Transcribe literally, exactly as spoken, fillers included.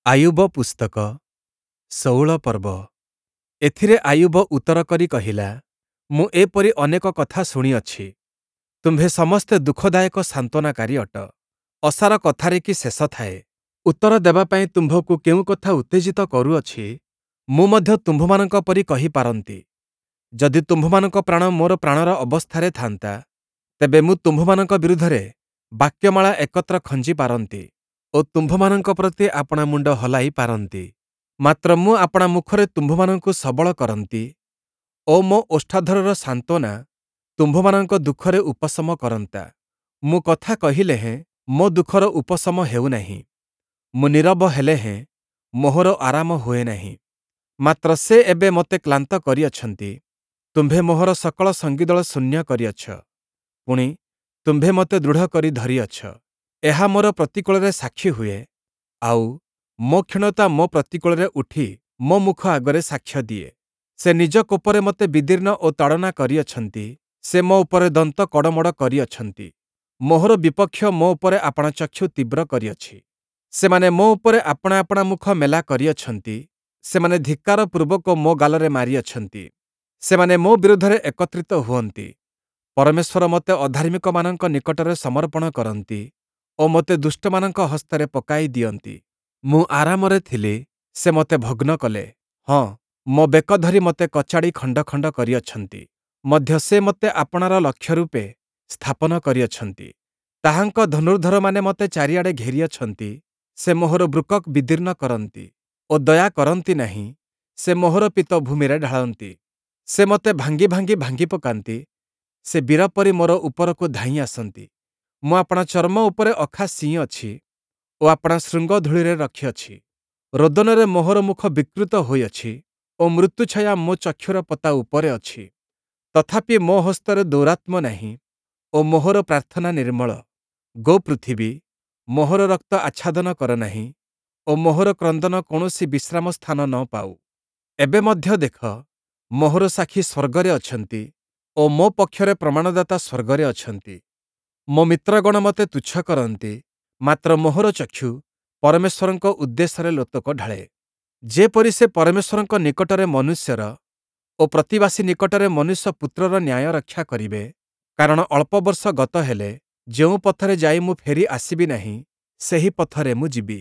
ଆୟୁବ ପୁସ୍ତକ ଷୋହଳ ପର୍ବ। ଏଥିରେ ଆୟୁବ ଉତ୍ତର କରି କହିଲା, ମୁଁ ଏପରି ଅନେକ କଥା ଶୁଣିଅଛି। ତୁମ୍ଭେ ସମସ୍ତେ ଦୁଃଖଦାୟକ ସାନ୍ତ୍ୱନାକାରୀ ଅଟ। ଅସାର କଥାରେ କି ଶେଷ ଥାଏ? ଉତ୍ତର ଦେବା ପାଇଁ ତୁମ୍ଭକୁ କେଉଁ କଥା ଉତ୍ତେଜିତ କରୁଅଛି, ମୁଁ ମଧ୍ୟ ତୁମ୍ଭମାନଙ୍କ ପରି କହିପାରନ୍ତି। ଯଦି ତୁମ୍ଭମାନଙ୍କ ପ୍ରାଣ ମୋର ପ୍ରାଣର ଅବସ୍ଥାରେ ଥାନ୍ତା, ତେବେ ମୁଁ ତୁମ୍ଭମାନଙ୍କ ବିରୁଦ୍ଧରେ ବାକ୍ୟମାଳା ଏକତ୍ର ଖଞ୍ଜି ପାରନ୍ତି ଓ ତୁମ୍ଭମାନଙ୍କ ପ୍ରତି ଆପଣା ମୁଣ୍ଡ ହଲାଇ ପାରନ୍ତି। ମାତ୍ର ମୁଁ ଆପଣା ମୁଖରେ ତୁମ୍ଭମାନଙ୍କୁ ସବଳ କରନ୍ତି ଓ ମୋ ଓଷ୍ଠାଧରର ସାନ୍ତ୍ୱନା ତୁମ୍ଭମାନଙ୍କ ଦୁଃଖରେ ଉପଶମ କରନ୍ତା। ମୁଁ କଥା କହିଲେ ହେଁ ମୋ ଦୁଃଖର ଉପଶମ ହେଉନାହିଁ, ମୁଁ ନୀରବ ହେଲେ ହେଁ ମୋହର ଆରାମ ହୁଏ ନାହିଁ। ମାତ୍ର ସେ ଏବେ ମୋତେ କ୍ଳାନ୍ତ କରିଅଛନ୍ତି, ତୁମ୍ଭେ ମୋହର ସକଳ ସଙ୍ଗୀଦଳ ଶୂନ୍ୟ କରିଅଛ, ପୁଣି ତୁମ୍ଭେ ମୋତେ ଦୃଢ଼ କରି ଧରିଅଛ। ଏହା ମୋର ପ୍ରତିକୂଳରେ ସାକ୍ଷୀ ହୁଏ, ଆଉ ମୋ କ୍ଷୀଣତା ମୋ ପ୍ରତିକୂଳରେ ଉଠି ମୋ ମୁଖ ଆଗରେ ସାକ୍ଷ୍ୟ ଦିଏ। ସେ ନିଜ କୋପରେ ମୋତେ ବିଦୀର୍ଣ୍ଣ ଓ ତାଡ଼ନା କରିଅଛନ୍ତି, ସେ ମୋ ଉପରେ ଦନ୍ତ କଡ଼ମଡ଼ କରିଅଛନ୍ତି। ମୋହର ବିପକ୍ଷ ମୋ ଉପରେ ଆପଣା ଚକ୍ଷୁ ତୀବ୍ର କରିଅଛି। ସେମାନେ ମୋ ଉପରେ ଆପଣା ଆପଣା ମୁଖ ମେଲା କରିଅଛନ୍ତି, ସେମାନେ ଧିକ୍କାର ପୂର୍ବକ ମୋ ଗାଲରେ ମାରିଅଛନ୍ତି। ସେମାନେ ମୋ ବିରୁଦ୍ଧରେ ଏକତ୍ରିତ ହୁଅନ୍ତି। ପରମେଶ୍ୱର ମୋତେ ଅଧାର୍ମିକମାନଙ୍କ ନିକଟରେ ସମର୍ପଣ କରନ୍ତି ଓ ମୋତେ ଦୁଷ୍ଟମାନଙ୍କ ହସ୍ତରେ ପକାଇ ଦିଅନ୍ତି। ମୁଁ ଆରାମରେ ଥିଲି, ସେ ମୋତେ ଭଗ୍ନ କଲେ, ହଁ, ମୋ ବେକ ଧରି ମୋତେ କଚାଡ଼ି ଖଣ୍ଡ ଖଣ୍ଡ କରିଅଛନ୍ତି। ମଧ୍ୟ ସେ ମୋତେ ଆପଣାର ଲକ୍ଷ୍ୟ ରୂପେ ସ୍ଥାପନ କରିଅଛନ୍ତି। ତାହାଙ୍କ ଧନୁର୍ଦ୍ଧରମାନେ ମୋତେ ଚାରିଆଡ଼େ ଘେରିଅଛନ୍ତି। ସେ ମୋହର ବୃକକ୍ ବିଦୀର୍ଣ୍ଣ କରନ୍ତି ଓ ଦୟା କରନ୍ତି ନାହିଁ, ସେ ମୋହର ପିତ୍ତ ଭୂମିରେ ଢାଳନ୍ତି। ସେ ମୋତେ ଭାଙ୍ଗି ଭାଙ୍ଗି ଭାଙ୍ଗି ପକାନ୍ତି, ସେ ବୀର ପରି ମୋର ଉପରକୁ ଧାଇଁ ଆସନ୍ତି। ମୁଁ ଆପଣା ଚର୍ମ ଉପରେ ଅଖା ସିଇଁଅଛି ଓ ଆପଣା ଶୃଙ୍ଗ ଧୂଳିରେ ରଖିଅଛି। ରୋଦନରେ ମୋହର ମୁଖ ବିକୃତ ହୋଇଅଛି ଓ ମୃତ୍ୟୁଛାୟା ମୋ ଚକ୍ଷୁର ପତା ଉପରେ ଅଛି। ତଥାପି ମୋ ହସ୍ତରେ ଦୌରାତ୍ମ୍ୟ ନାହିଁ ଓ ମୋହର ପ୍ରାର୍ଥନା ନିର୍ମଳ। ଗୋ ପୃଥିବୀ, ମୋହର ରକ୍ତ ଆଚ୍ଛାଦନ କର ନାହିଁ ଓ ମୋହର କ୍ରନ୍ଦନ କୌଣସି ବିଶ୍ରାମ ସ୍ଥାନ ନ ପାଉ। ଏବେ ମଧ୍ୟ ଦେଖ, ମୋହର ସାକ୍ଷୀ ସ୍ୱର୍ଗରେ ଅଛନ୍ତି ଓ ମୋ ପକ୍ଷରେ ପ୍ରମାଣଦାତା ସ୍ୱର୍ଗରେ ଅଛନ୍ତି। ମୋ ମିତ୍ରଗଣ ମୋତେ ତୁଚ୍ଛ କରନ୍ତି, ମାତ୍ର ମୋହର ଚକ୍ଷୁ ପରମେଶ୍ୱରଙ୍କ ଉଦ୍ଦେଶ୍ୟରେ ଲୋତକ ଢାଳେ। ଯେପରି ସେ ପରମେଶ୍ୱରଙ୍କ ନିକଟରେ ମନୁଷ୍ୟର ଓ ପ୍ରତିବାସୀ ନିକଟରେ ମନୁଷ୍ୟ ପୁତ୍ରର ନ୍ୟାୟ ରକ୍ଷା କରିବେ, କାରଣ ଅଳ୍ପ ବର୍ଷ ଗତ ହେଲେ ଯେଉଁ ପଥରେ ଯାଇ ମୁଁ ଫେରି ଆସିବି ନାହିଁ, ସେହି ପଥରେ ମୁଁ ଯିବି।